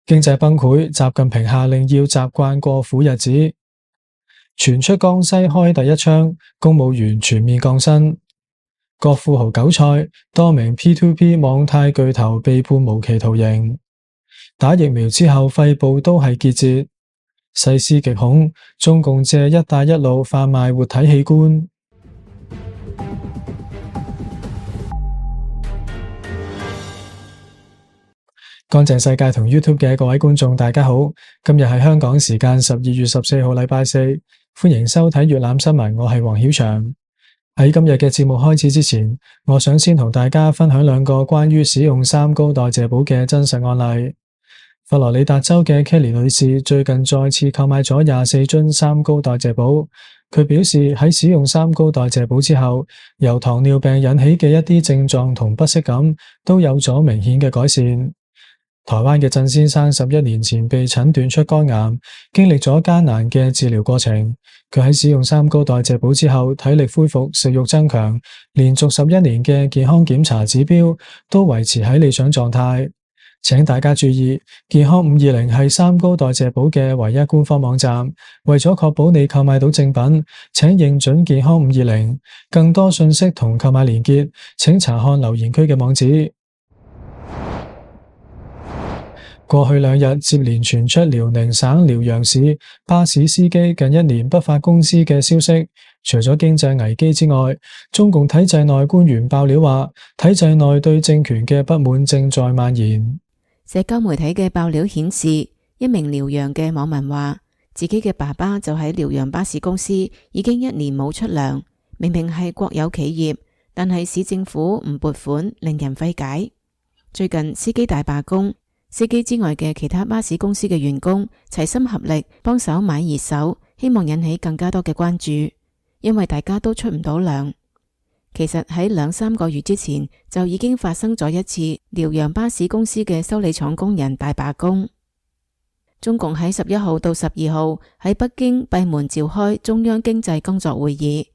經濟崩潰，習近平下令要習慣過苦日子。傳出江西開第一槍，公務員全面降薪。國富豪韭菜，多名 P2P 網貸巨頭被判無期徒刑。打疫苗之後肺部都係結節。細思極恐，中共借一帶一路販賣活體器官。乾淨世界同 YouTube 嘅各位觀眾大家好，今日係香港時間12月14號禮拜四，歡迎收睇粵覽新聞，我係黃曉翔。喺今日嘅節目開始之前，我想先同大家分享兩個關於使用三高代謝寶嘅真實案例。佛羅里達州嘅 Kelly 女士最近再次購買咗24樽三高代謝寶，佢表示喺使用三高代謝寶之後，由糖尿病引起嘅一啲症狀同不適感都有咗明顯嘅改善。台灣嘅鄭先生11年前被診斷出肝癌，經歷咗艱難嘅治療過程。佢喺使用三高代謝寶之後，體力恢復，食慾增強，連續11年嘅健康檢查指標都維持喺理想狀態。請大家注意，健康520係三高代謝寶嘅唯一官方網站。為咗確保你購買到正品，請認準健康520。更多信息同購買連結，請查看留言區嘅網址。過去2日接連傳出遼寧省遼陽市巴士司機近1年不發工資嘅消息。除咗經濟危機之外，中共體制內官員爆料話，體制內對政權嘅不滿正在蔓延。社交媒體嘅爆料顯示，一名遼陽嘅網民話，自己嘅爸爸就喺遼陽巴士公司已經1年冇出糧，明明係國有企業，但係市政府唔撥款，令人費解。最近司機大罷工，司機之外嘅其他巴士公司嘅員工齊心合力幫手買熱搜，希望引起更加多嘅關注，因為大家都出唔到糧。其實喺2-3個月之前就已經發生咗一次遼陽巴士公司嘅修理廠工人大罷工。中共喺11號到12號喺北京閉門召開中央經濟工作會議，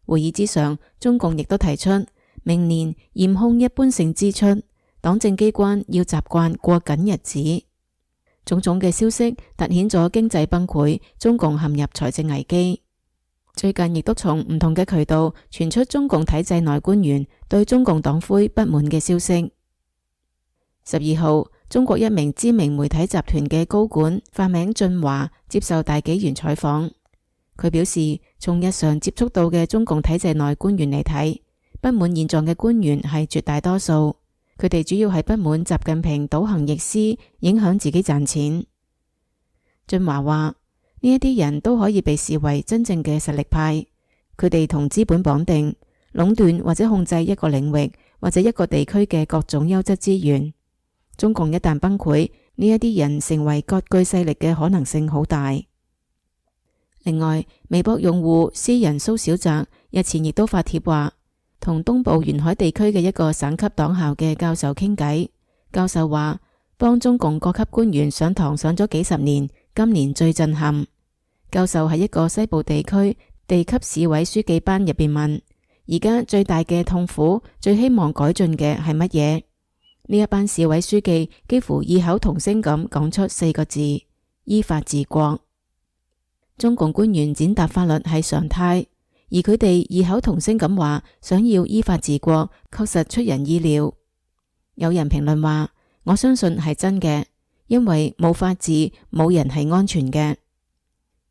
會議之上，中共亦都提出明年嚴控一般性支出，黨政機關要習慣過緊日子。種種嘅消息凸顯咗經濟崩潰，中共陷入財政危機。最近亦都從唔同嘅渠道傳出中共體制內官員對中共黨魁不滿嘅消息。12號，中國一名知名媒體集團嘅高管，化名俊華，接受大紀元採訪。佢表示，從日常接觸到嘅中共體制內官員嚟睇，不滿現狀嘅官員係絕大多數，佢哋主要係不滿習近平倒行逆施，影響自己賺錢。俊華話，呢一啲人都可以被視為真正嘅實力派，佢哋同資本綁定，壟斷或者控制一個領域或者一個地區嘅各種優質資源。中共一旦崩潰，呢一啲人成為割據勢力嘅可能性好大。另外，微博用戶詩人蘇小澤日前亦都發帖話，同東部沿海地區嘅一個省級黨校嘅教授傾偈，教授話幫中共各級官員上堂上咗幾十年，今年最震撼。教授喺一個西部地區地級市委書記班入邊問，而家最大嘅痛苦，最希望改進嘅係乜嘢？呢一班市委書記幾乎異口同聲咁講出4個字：依法治國。中共官員踐踏法律係常態，而佢哋異口同聲咁話想要依法治國，確實出人意料。有人評論話，我相信係真嘅，因為冇法治，冇人係安全嘅。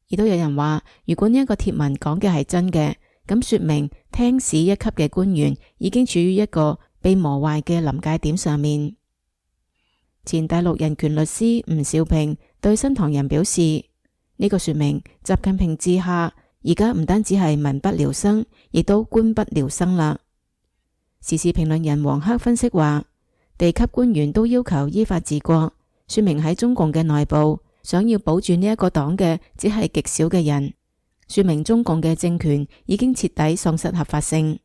亦都有人話，如果呢一個貼文講嘅係真嘅，咁說明廳市一級嘅官員已經處於一個被磨壞嘅臨界點上面。前大陸人權律師吳兆平對新唐人表示，呢個說明習近平治下而家唔單止係民不聊生，亦都官不聊生啦。時事評論人黃克分析話，地級官員都要求依法治國，說明喺中共嘅內部，想要保住呢一個黨嘅只係極少嘅人，說明中共嘅政權已經徹底喪失合法性。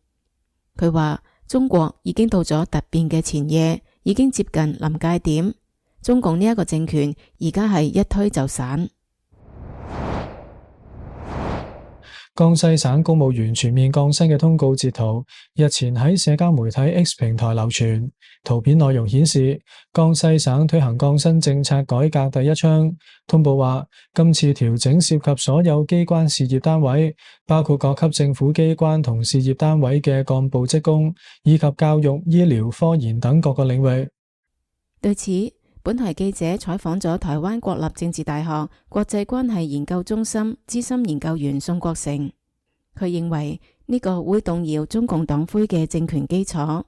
佢話中國已經到咗突變嘅前夜，已經接近臨界點，中共呢一個政權而家係一推就散。江西省公務員全面降薪嘅通告截圖日前喺社交媒體 X 平台流傳，圖片內容顯示，江西省推行降薪政策改革第一槍。通報話，今次調整涉及所有機關事業單位，包括各級政府機關同事業單位嘅幹部職工，以及教育、醫療、科研等各個領域。對此，本台記者採訪咗台灣國立政治大學國際關係研究中心資深研究員宋國成，佢認為呢個會動搖中共黨魁嘅政權基礎。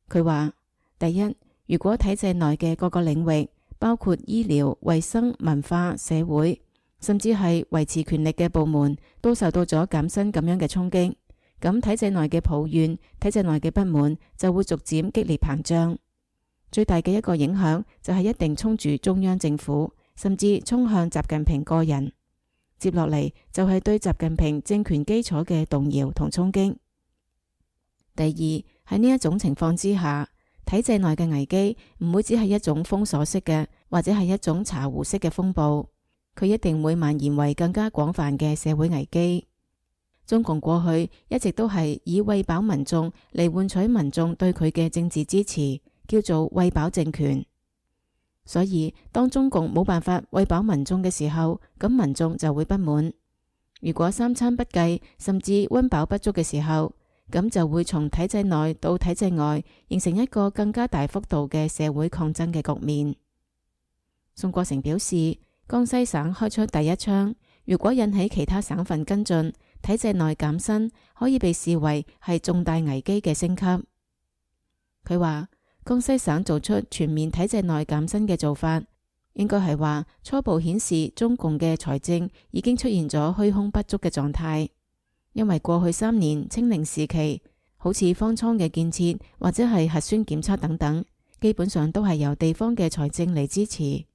佢話：第一，如果體制內嘅各個領域，包括醫療、衛生、文化、社會，甚至係維持權力嘅部門，都受到咗減薪咁樣嘅衝擊，咁體制內嘅抱怨、體制內嘅不滿就會逐漸激烈膨脹。最大嘅一個影響就係一定衝住中央政府，甚至衝向習近平個人。接落嚟就係對習近平政權基礎嘅動搖同衝擊。第二，喺呢一種情況之下，體制內嘅危機唔會只係一種封鎖式嘅，或者係一種茶壺式嘅風暴，佢一定會蔓延為更加廣泛嘅社會危機。中共過去一直都係以餵飽民眾嚟換取民眾對佢嘅政治支持，叫做餵飽政權。所以當中共冇辦法餵飽民眾嘅時候，咁民眾就會不滿。如果三餐不繼，甚至溫飽不足嘅時候，咁就會從體制內到體制外，形成一個更加大幅度嘅社會抗爭嘅局面。宋國成表示，江西省開出第一槍，如果引起其他省份跟進，體制內減薪可以被視為係重大危機嘅升級。佢話，江西省做出全面體制內減薪嘅做法，應該係話初步顯示中共嘅財政已經出現咗虛空不足嘅狀態。因為過去3年清零時期，好似方艙嘅建設或者係核酸檢測等等，基本上都係由地方嘅財政嚟支持。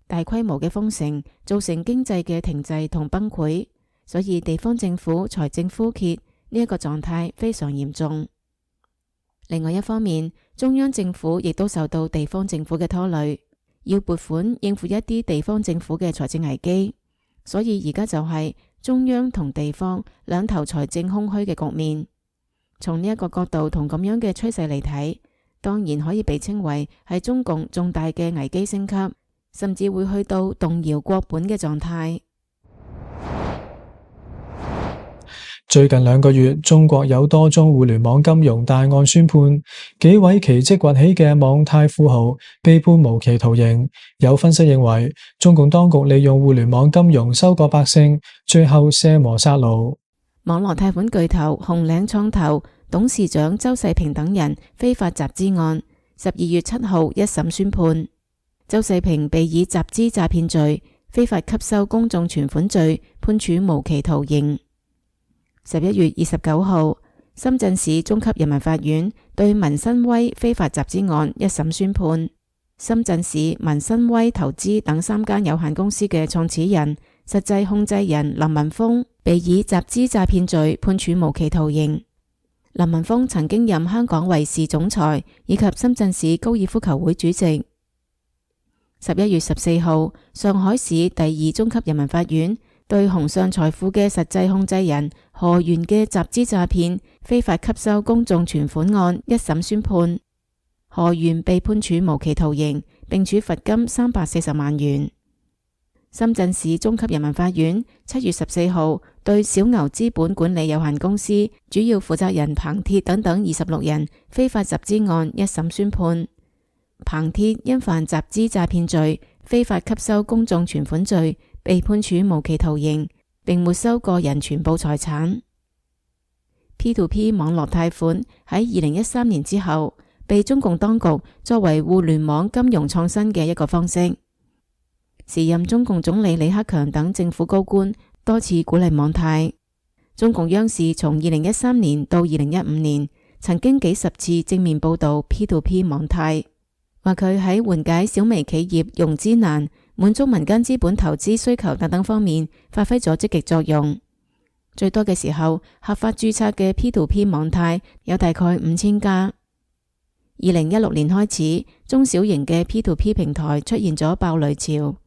大規模嘅封城造成經濟嘅停滯同崩潰，所以地方政府財政枯竭呢一個狀態非常嚴重。另外一方面，中央政府亦都受到地方政府嘅拖累，要撥款應付一啲地方政府嘅財政危機，所以而家就係中央同地方兩頭財政空虛嘅局面。從呢一個角度同咁樣嘅趨勢嚟睇，當然可以被稱為係中共重大嘅危機升級，甚至會去到動搖國本嘅狀態。最近2個月，中國有多宗互聯網金融大案宣判，幾位奇蹟崛起嘅網貸富豪被判無期徒刑。有分析認為，中共當局利用互聯網金融收割百姓，最後卸磨殺驢。網絡貸款巨頭紅嶺創投董事長周世平等人非法集資案，12月7號一審宣判，周世平被以集資詐騙罪、非法吸收公眾存款罪判處無期徒刑。11月29號，深圳市中級人民法院對民新威非法集資案一審宣判，深圳市民新威投資等3間有限公司嘅創始人、實際控制人林文峰被以集資詐騙罪判處無期徒刑。林文峰曾經任香港衛視總裁以及深圳市高爾夫球會主席。11月14號，上海市第2中級人民法院對鴻上財富嘅實際控制人何源嘅集資詐騙、非法吸收公眾存款案一審宣判，何源被判處無期徒刑，並處罰金340萬元。深圳市中級人民法院7月14號對小牛資本管理有限公司主要負責人彭鐵等等26人非法集資案一審宣判，彭鐵因犯集資詐騙罪、非法吸收公眾存款罪，被判處無期徒刑，並沒收個人全部財產。P2P 網絡貸款喺2013年之後，被中共當局作為互聯網金融創新嘅一個方式。時任中共總理李克強等政府高官多次鼓勵網貸。中共央視從2013年到2015年，曾經幾十次正面報道 P2P 網貸，話佢喺緩解小微企業融資難、滿足民間資本投資需求等等方面發揮咗積極作用。最多嘅時候，合法註冊嘅 P2P 網貸有大概5000家。2016年開始，中小型嘅 P2P 平台出現咗爆雷潮。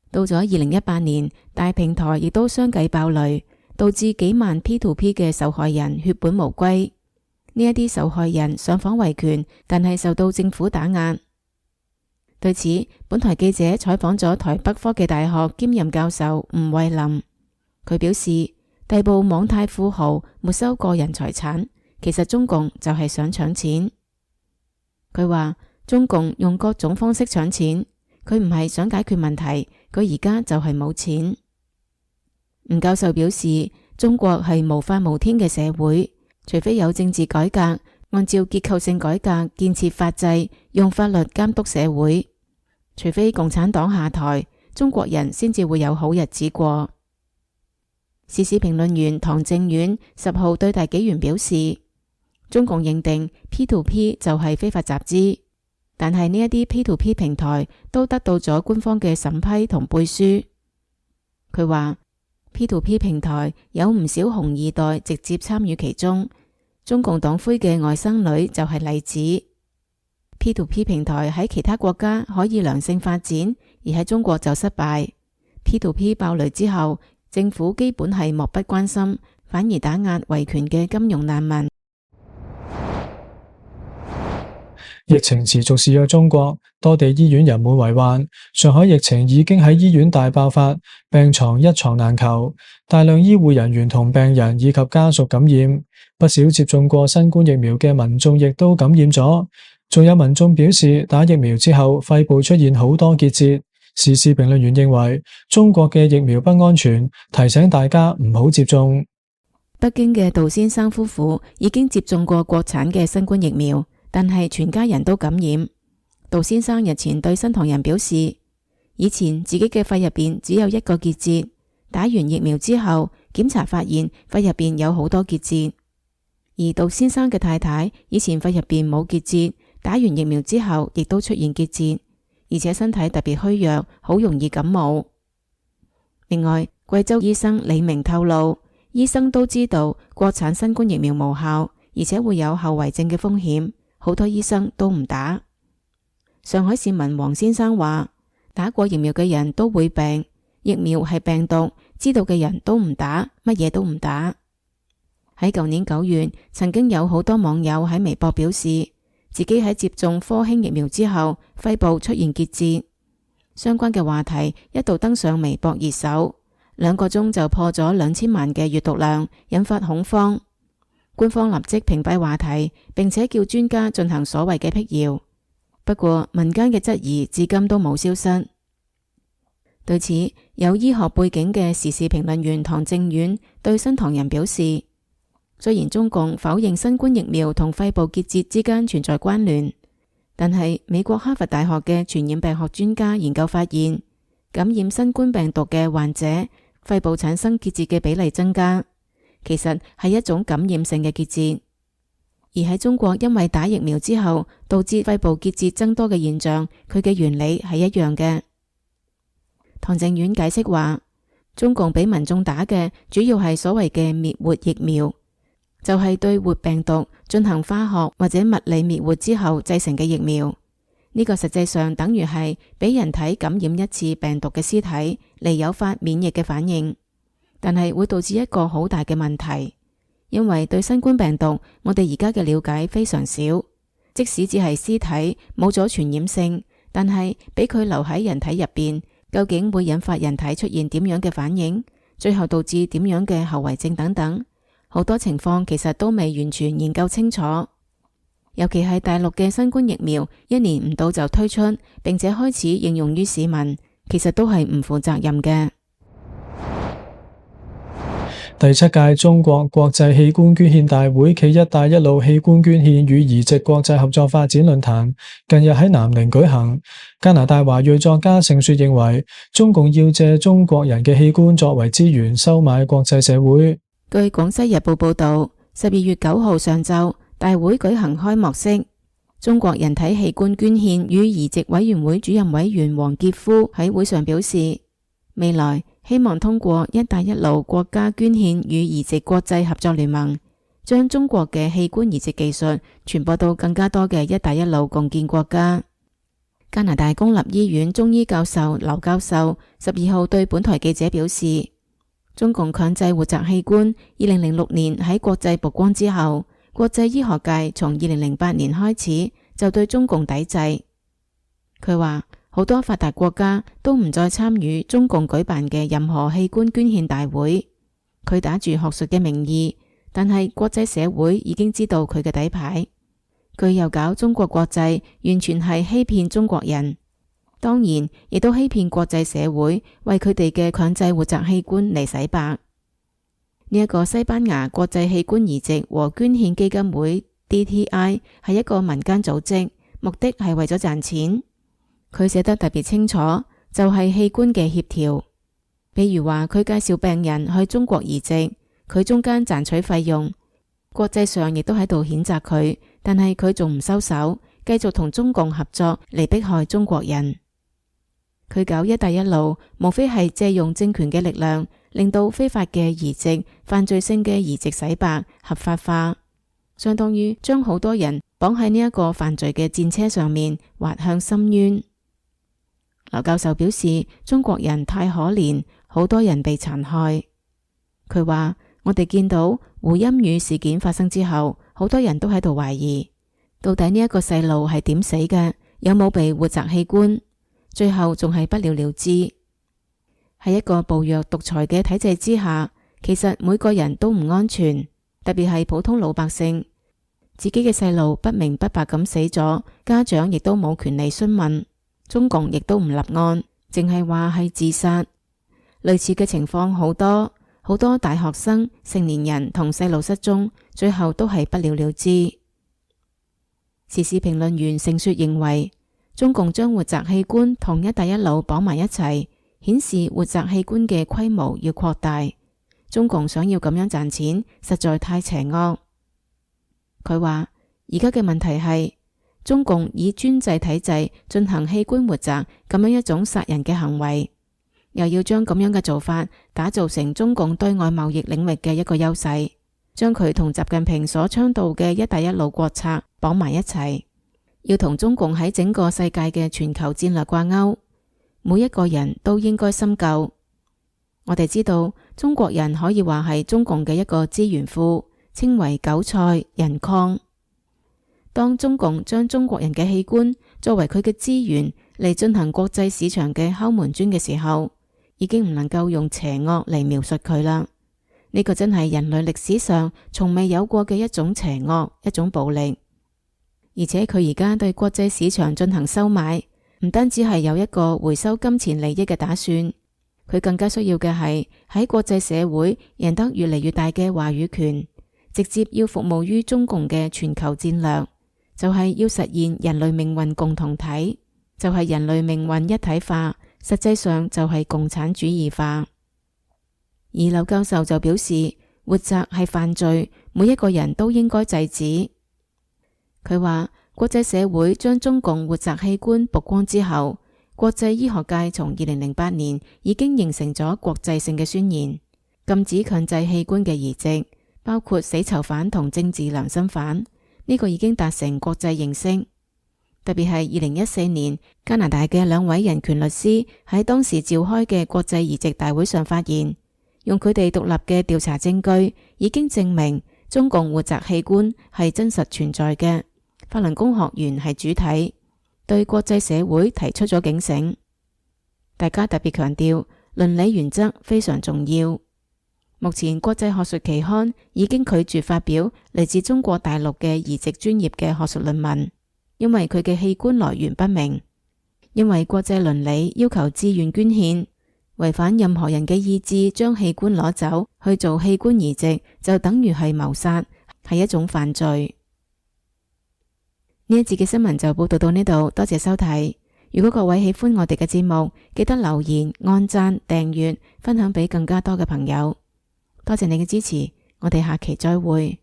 到咗2018年，大平台亦都相繼爆雷，導致幾萬 P2P 嘅受害人血本無歸。呢一啲受害人上訪維權，但係受到政府打壓。對此，本台記者採訪咗台北科技大學兼任教授吳慧琳，佢表示，逮捕網貸富豪沒收個人財產，其實中共就係想搶錢。佢話中共用各種方式搶錢，佢唔係想解決問題，佢而家就係冇錢。吳教授表示，中國係無法無天嘅社會，除非有政治改革，按照結構性改革建設法制，用法律監督社會，除非共產黨下台，中國人先至會有好日子過。時事評論員唐正遠10號對大紀元表示，中共認定 P2P 就係非法集資，但係呢一啲 P2P 平台都得到咗官方嘅審批同背書。佢話 P2P 平台有唔少紅二代直接參與其中，中共黨魁嘅外甥女就係例子。P2P 平台喺其他國家可以良性發展，而喺中國就失敗。P2P 爆雷之後，政府基本係漠不關心，反而打壓維權嘅金融難民。疫情持續肆虐中國，多地醫院人滿為患。上海疫情已經喺醫院大爆發，病床一床難求，大量醫護人員同病人以及家屬感染，不少接種過新冠疫苗嘅民眾亦都感染咗。仲有民眾表示，打疫苗之後肺部出現好多結節。時事評論員認為，中國嘅疫苗不安全，提醒大家唔好接種。北京嘅杜先生夫婦已經接種過國產嘅新冠疫苗，但係全家人都感染。杜先生日前對新唐人表示，以前自己嘅肺入邊只有一個結節，打完疫苗之後檢查發現肺入邊有好多結節。而杜先生嘅太太以前肺入邊冇結節，打完疫苗之後亦都出現結節，而且身體特別虛弱，好容易感冒。另外，貴州醫生李明透露，醫生都知道國產新冠疫苗無效，而且會有後遺症嘅風險，好多醫生都唔打。上海市民黃先生話，打過疫苗嘅人都會病，疫苗係病毒，知道嘅人都唔打，乜嘢都唔打。喺舊年9月，曾經有好多網友喺微博表示，自己喺接種科興疫苗之後，肺部出現結節。相關嘅話題一度登上微博熱搜，2個鐘就破咗2000萬嘅閱讀量，引發恐慌。官方立即屏蔽話題，並且叫專家進行所謂嘅闢謠。不過民間嘅質疑至今都冇消失。對此，有醫學背景嘅時事評論員唐正遠對新唐人表示，雖然中共否認新冠疫苗同肺部結節之間存在關聯，但係美國哈佛大學嘅傳染病學專家研究發現，感染新冠病毒嘅患者肺部產生結節嘅比例增加，其實係一種感染性嘅結節。而喺中國，因為打疫苗之後導致肺部結節增多嘅現象，佢嘅原理係一樣嘅。唐正遠解釋話，中共俾民眾打嘅主要係所謂嘅滅活疫苗，就係對活病毒進行化學或者物理滅活之後製成嘅疫苗。呢個實際上等於係俾人體感染一次病毒嘅屍體嚟誘發免疫嘅反應，但係會導致一個好大嘅問題，因為對新冠病毒我哋而家嘅了解非常少，即使只係屍體冇咗傳染性，但係俾佢留喺人體入邊，究竟會引發人體出現點樣嘅反應，最後導致點樣嘅後遺症等等，好多情況其實都未完全研究清楚。尤其係大陸嘅新冠疫苗1年唔到就推出，並且開始應用於市民，其實都係唔負責任嘅。第7屆中國國際器官捐獻大會暨一帶一路器官捐獻與移植國際合作發展論壇近日喺南寧舉行。加拿大華裔作家盛雪認為，中共要借中國人嘅器官作為資源收買國際社會。據廣西日報報道，12月9號上晝，大會舉行開幕式，中國人體器官捐獻與移植委員會主任委員王傑夫喺會上表示，未來希望通過一帶一路國家捐獻與移植國際合作聯盟，將中國嘅器官移植技術傳播到更加多嘅一帶一路共建國家。加拿大公立醫院中醫教授劉教授12號對本台記者表示，中共強制活摘器官，2006年喺國際曝光之後，國際醫學界從2008年開始就對中共抵制。佢話好多發達國家都唔再參與中共舉辦嘅任何器官捐獻大會。佢打住學術嘅名義，但係國際社會已經知道佢嘅底牌。佢又搞中國國際，完全係欺騙中國人。當然，亦都欺騙國際社會，為佢哋嘅強制活摘器官嚟洗白。呢一個西班牙國際器官移植和捐獻基金會 DTI 係一個民間組織，目的係為咗賺錢。佢寫得特別清楚，就係器官嘅協調。比如話佢介紹病人去中國移植，佢中間賺取費用，國際上亦都喺度譴責佢，但係佢仲唔收手，繼續同中共合作嚟迫害中國人。佢搞一帶一路，無非係借用政權嘅力量，令到非法嘅移植、犯罪性嘅移植洗白、合法化，相當於將好多人綁喺呢一個犯罪嘅戰車上面，滑向深淵。劉教授表示，中國人太可憐，好多人被殘害。佢話，我哋見到胡鑫宇事件發生之後，好多人都喺度懷疑，到底呢一個細路係點死嘅，有冇被活摘器官？最後仲係不了了之。喺一個暴虐獨裁嘅體制之下，其實每個人都唔安全，特別係普通老百姓，自己嘅細路不明不白咁死咗，家長亦都冇權利詢問，中共亦都唔立案，淨係話係自殺。類似嘅情況好多，好多大學生、成年人同細路失蹤，最後都係不了了之。時事評論員盛雪認為，中共將活摘器官同一帶一路綁埋一齊，顯示活摘器官嘅規模要擴大。中共想要咁樣賺錢，實在太邪惡。佢話，而家嘅問題係，中共以專制體制進行器官活摘咁樣一種殺人嘅行為，又要將咁樣嘅做法打造成中共對外貿易領域嘅一個優勢，將佢同習近平所倡導嘅一帶一路國策綁埋一齊，要同中共喺整個世界嘅全球戰略掛鈎。每一個人都應該深究。我哋知道中國人可以話係中共嘅一個資源庫，稱為韭菜人礦。當中共將中國人嘅器官作為佢嘅資源嚟進行國際市場嘅敲門磚嘅時候，已經唔能夠用邪惡嚟描述佢啦。呢個真係人類歷史上從未有過嘅一種邪惡，一種暴力。而且佢而家對國際市場進行收買，唔單止係有一個回收金錢利益嘅打算，佢更加需要嘅係喺國際社會贏得越嚟越大嘅話語權，直接要服務於中共嘅全球戰略，就係要實現人類命運共同體，就係人類命運一體化，實際上就係共產主義化。而劉教授就表示，活摘係犯罪，每一個人都應該制止。佢話，國際社會將中共活摘器官曝光之後，國際醫學界從2008年已經形成咗國際性嘅宣言，禁止強制器官嘅移植，包括死囚犯同政治良心犯。呢個已經達成國際認識。特別係2014年，加拿大嘅2位人權律師喺當時召開嘅國際移植大會上發言，用佢哋獨立嘅調查證據，已經證明中共活摘器官係真實存在嘅。法輪功學員係主體，對國際社會提出咗警醒。大家特別強調倫理原則非常重要。目前國際學術期刊已經拒絕發表嚟自中國大陸嘅移植專業嘅學術論文，因為佢嘅器官來源不明。因為國際倫理要求自願捐獻，違反任何人嘅意志將器官攞走去做器官移植，就等於係謀殺，係一種犯罪。呢一節嘅新聞就報道到呢度，多謝收睇。如果各位喜歡我哋嘅節目，記得留言、按讚、訂閱、分享俾更加多嘅朋友。多謝你嘅支持，我哋下期再會。